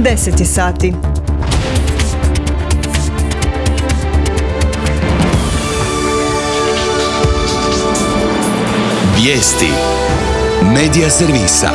10 sati. Vijesti Medija servisa.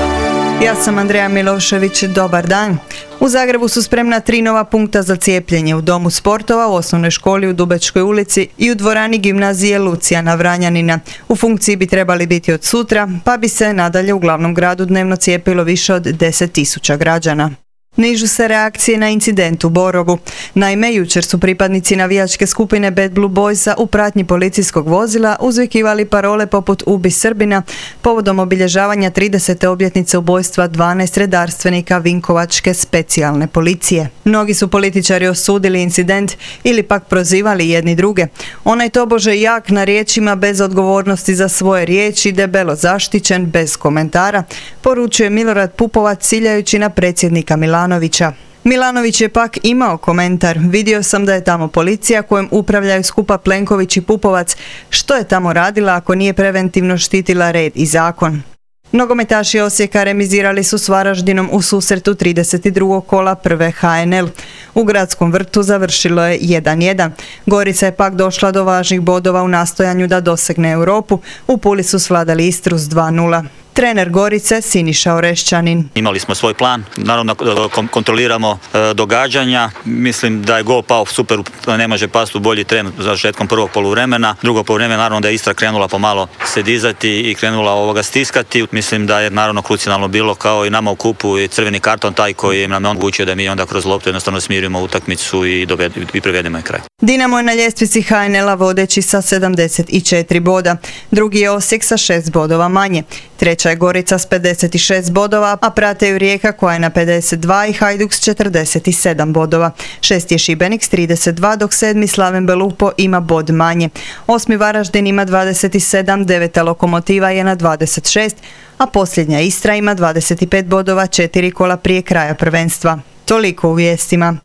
Ja sam Andreja Milošević, dobar dan. U Zagrebu su spremna 3 nova punkta za cijepljenje u Domu sportova, u osnovnoj školi u Dubečkoj ulici i u dvorani gimnazije Lucijana Vranjanina. U funkciji bi trebali biti od sutra, pa bi se nadalje u glavnom gradu dnevno cijepilo više od 10.000 građana. Nižu se reakcije na incident u Borovu. Naime, jučer su pripadnici navijačke skupine Bad Blue Boysa u pratnji policijskog vozila uzvikivali parole poput "Ubi Srbina" povodom obilježavanja 30. obljetnice ubojstva 12 redarstvenika Vinkovačke specijalne policije. Mnogi su političari osudili incident ili pak prozivali jedni druge. Onaj tobože jak na riječima, bez odgovornosti za svoje riječi, debelo zaštićen, bez komentara, poručuje Milorad Pupovac ciljajući na predsjednika Milanovića. Milanović je pak imao komentar: "Vidio sam da je tamo policija kojom upravljaju skupa Plenković i Pupovac. Što je tamo radila ako nije preventivno štitila red i zakon?" Nogometaši Osijeka remizirali su s Varaždinom u susretu 32. kola prve HNL. U Gradskom vrtu završilo je 1:1. Gorica je pak došla do važnih bodova u nastojanju da dosegne Europu. U Puli su svladali Istru s 2:0. Trener Gorice Siniša Orešćanin: "Imali smo svoj plan, naravno kontroliramo događanja. Mislim da je gol pao super, ne može pasti u bolji tren za završetkom prvog poluvremena. Drugo poluvreme naravno da je Istra krenula pomalo se dizati i krenula stiskati. Mislim da je naravno krucijalno bilo, kao i nama u kupu, i crveni karton taj koji nam je omogućio da mi onda kroz loptu jednostavno smirimo utakmicu i privedemo je kraj." Dinamo je na ljestvici HNL-a vodeći sa 74 boda. Drugi je Osijek sa 6 bodova manje. Treća je Gorica s 56 bodova, a prate ju Rijeka koja je na 52 i Hajduk s 47 bodova. 6 je Šibenik s 32, dok 7. Slaven Belupo ima bod manje. 8. Varaždin ima 27, 9. Lokomotiva je na 26, a posljednja Istra ima 25 bodova 4 kola prije kraja prvenstva. Toliko u vijestima.